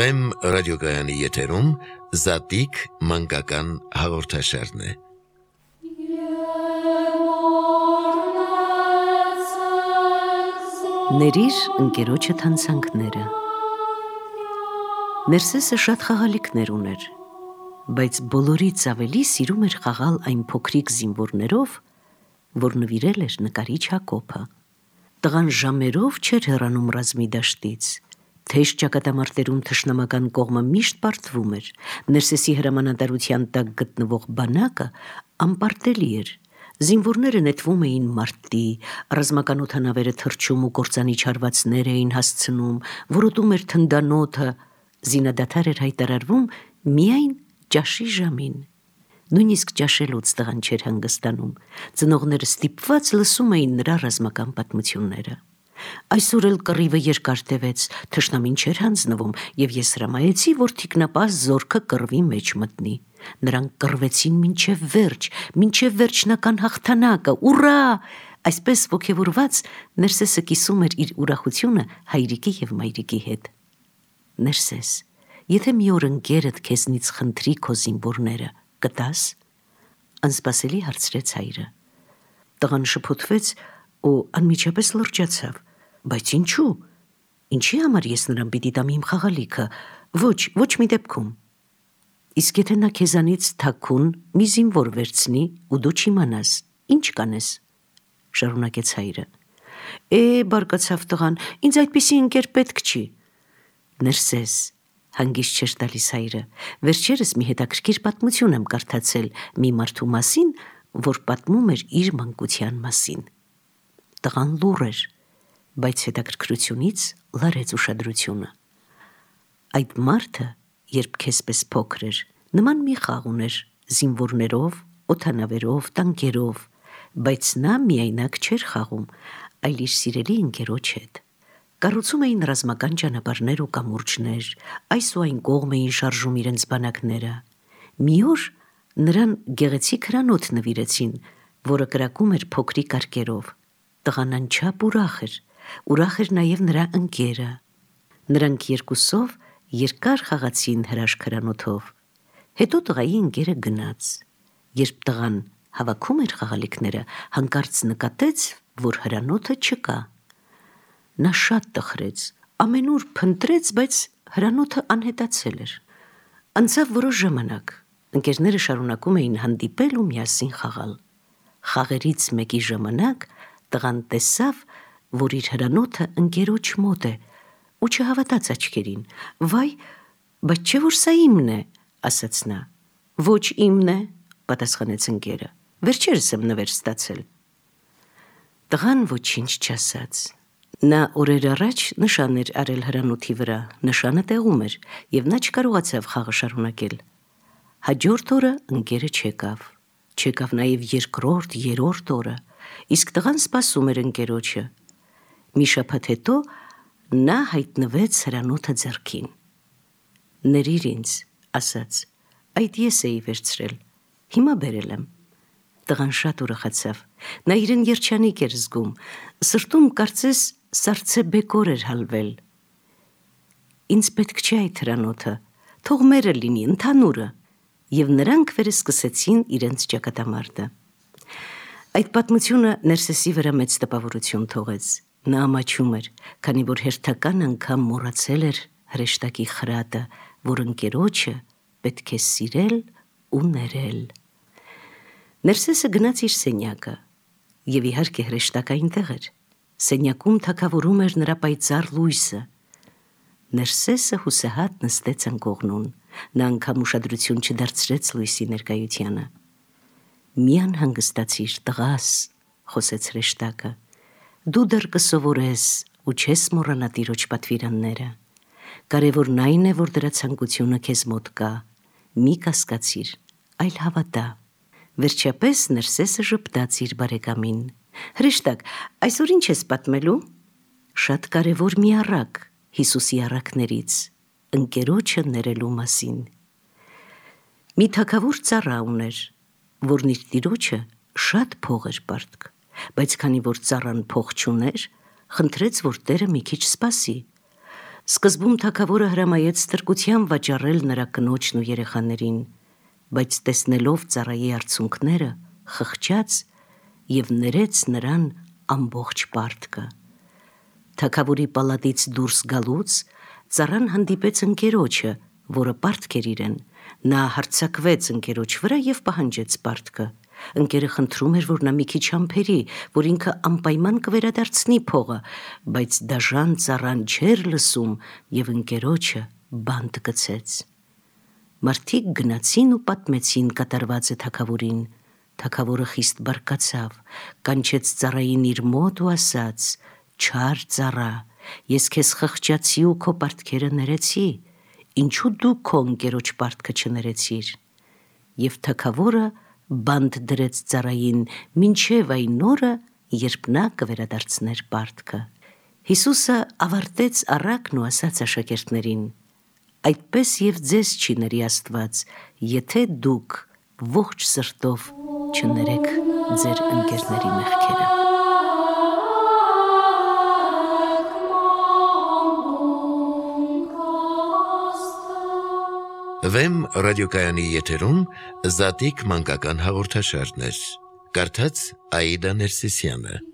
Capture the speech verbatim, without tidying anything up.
Վեմ ռադիոգայանի եթերում Զատիկ մանկական հաղորդաշարն է։ Ներիր ընկերոջը թանցանքները։ Ներսեսը շատ խաղալիքներ ուներ, բայց բոլորից ավելի սիրում էր խաղալ այն փոքրիկ զինվորներով, որ նվիրել էր նկարիչ Հակոբը։ Տղան ժամերով չէր հեռանում ռազմի դաշտից, թեժ ճակատամարտերում թշնամական կողմը միշտ պարտվում էր, Ներսեսի հրամանատարության տակ գտնվող բանակը անպարտելի էր, զինվորները նետվում էին մարտի, ռազմական օդանավերը թռչում ու կործանի չարվածներ էին հասցնում, որոտում էր թնդանոթը, զինադադար էր հայտարարվում միայն ճաշի ժամին։ Նույնիսկ ճաշելուց տղան չէր հանգստանում, ծնողները ստիպված լսում էին նրա ռազմական պատմությունները։ Այսօր էլ կռիվը երկար տևեց, թշնամին չէր հանձնվում, և ես հրամայեցի, որ թիկնապահ զորքը կռվի մեջ մտնի։ Նրանք կռվեցին մինչև վերջ, մինչև վերջնական հաղթանակը, ուռա! Այսպես ոգևորված Ներսեսը կիսում էր իր ուրախությունը հայրիկի և մայրիկի հետ։ Ներսես, եթե մի օր ընկերդ քեզնից խնդրի քո զինվորները, կտա՞ս, անսպասելի հարցրեց հայրը։ Տղան շփոթվեց ու անմիջապես լրջացավ, բայց ինչու, ինչի համար ես նրան պիտի տամ իմ խաղալիքը, ոչ, ոչ մի դեպքում։ Իսկ եթե նա քեզանից թաքուն մի զինվոր վերցնի ու դու չիմանաս, ինչ կանես, շարունակեց հայրը։ Է, բարկացավ տղան, ինձ այդպիսի ընկեր պետք չի։ Ներսես, հանգիստ չէր տալիս հայրը, վերջերս մի հետաքրքիր պատմություն եմ կարդացել մի մարդու մասին, որ պատմում էր իր մանկության մասին։ Տղան լուռ էր, բայց հետաքրքրությունից լարեց ուշադրությունը։ Այդ մարդը, երբ քեզպես փոքր էր, նման մի խաղ ուներ զինվորներով, օդանավերով, տանկերով, բայց նա միայնակ չէր խաղում, այլ իր սիրելի ընկերոջ հետ։ Կառուցում էին ռազմական ճանապարհներ ու կամուրջներ, այս ու այն կողմ էին շարժում իրենց բանակները։ Մի օր նրան գեղեցիկ հրանոթ նվիրեցին, որը կրակում էր փոքրիկ արկերով։ Տղան անչափ ուրախ էր, ուրախ էր նաև նրա ընկերը։ Նրանք երկուսով երկար խաղացին հրաշք հրանոթով։ Հետո տղայի ընկերը գնաց։ Երբ տղան հավաքում էր խաղալիքները, հանկարծ նկատեց, որ հրանոթը չկա։ Նա շատ տխրեց, ամենուր փնտրեց, բայց հրանոթը անհետացել էր։ Անցավ որոշ ժամանակ, ընկերները շարունակում էին հանդիպել ու միասին խաղալ։ Խաղերից մեկի ժամանակ տղան տեսավ, որ իր հրանոթը ընկերոջ մոտ է, ու չհավատաց աչքերին։ Վայ, բայց չէ՞ որ սա իմն է, ասաց նա։ Ոչ իմն է, պատասխանեց ընկերը, վերջերս եմ նվեր ստացել։ Տղան ոչինչ չասաց։ Նա օրեր առաջ նշան էր արել հրանոթի վրա, նշանը տեղում էր, և նա չկարողացավ խաղը շարունակել։ Հաջորդ օրը ընկերը չեկավ, չեկավ նաև երկրորդ, երրորդ օրը, իսկ տղան սպասում էր ընկերոջը։ Մի շաբաթ հետո նա հայտնվեց հրանոթը ձեռքին։ Ներիր ինձ, ասաց, այդ ես էի վերցրել, հիմա բերել եմ։ Տղան շատ ուրախացավ, նա իրեն երջանիկ էր զգում, սրտում կարծես սառցե բեկոր էր հալվել։ Ինձ պետք չէ այդ հրանոթը, թող մերը լինի, ընդհանուրը, և նրանք վերսկսեցին իրենց ճակատամարտը։ Այդ պատմությունը Ներսեսի վրա մեծ տպավորություն թողեց։ Նա ամաչում էր, քանի որ հերթական անգամ մոռացել էր հրեշտակի խրատը, որ ընկերոջը պետք է սիրել ու ներել։ Ներսեսը գնաց իր սենյակը, և իհարկե հրեշտակը այնտեղ էր։ Սենյակում թագավորում էր նրա պայծառ լույսը։ Ներսեսը հուսահատ նստեց անկողնուն, նա անգամ ուշադրություն չդարձրեց լույսի ներկայությանը։ Մի անհանգստացիր, տղաս, խոսեց հրեշտակը, դու դեռ կսովորես ու չես մոռանա տիրոջ պատվիրանները։ Կարևորն այն է, որ դրա ցանկությունը քեզ մոտ կա, մի կասկածիր, այլ հավատա։ Վերջապես Ներսեսը ժպտաց իր բարեկամին։ Հրեշտակ, այսօր ինչ ես պատմելու։ Շատ կարևոր մի առակ Հիսուսի առակներից, ընկերոջը ներելու մասին։ Մի թագավոր ծառա ուներ, որն իր տիրոջը շատ փող էր պարտք, բայց քանի որ ծառան փող չուներ, խնդրեց, որ տերը մի քիչ սպասի։ Սկզբում թագավորը հրամայեց ստրկության վաճառել նրա կնոջն ու երեխաներին, բայց տեսնելով ծառայի արցունքները, խղճաց և ներեց նրան ամբողջ պարտքը։ Թագավորի պալատից դուրս գալուց ծառան հանդիպեց ընկերոջը, որը պարտք էր իրեն։ Նա հարձակվեց ընկերոջ վրա և պահանջեց պարտքը։ Ընկերը խնդրում էր, որ նա մի քիչ համբերի, որ ինքը անպայման կվերադարձնի փողը, բայց դաժան ծառան չէր լսում և ընկերոջը բանտ գցեց։ Մարդիկ գնացին ու պատմեցին կատարվածը թագավորին։ Թագավորը խիստ բարկացավ, կանչեց ծառային իր մոտ ու ասաց. «Չար ծառա, ես քեզ խղճացի ու քո պարտքերը ներեցի, ինչու դու քո ընկերոջ պարտքը չներեցիր»։ Եվ թագավորը բանտ դրեց ծառային մինչև այն օրը, երբ նա կվերադարձներ պարտքը։ Հիսուսը ավարտեց առակն ու ասաց աշակերտներին. «Այդպես և ձեզ չի ների Աստված, եթե դուք ողջ սրտով չներեք ձեր ընկերների մեղքերը»։ Վեմ ռադիոկայանի եթերում Զատիկ մանկական հաղորդաշարներ։ Կարդաց Աիդա Ներսիսյանը։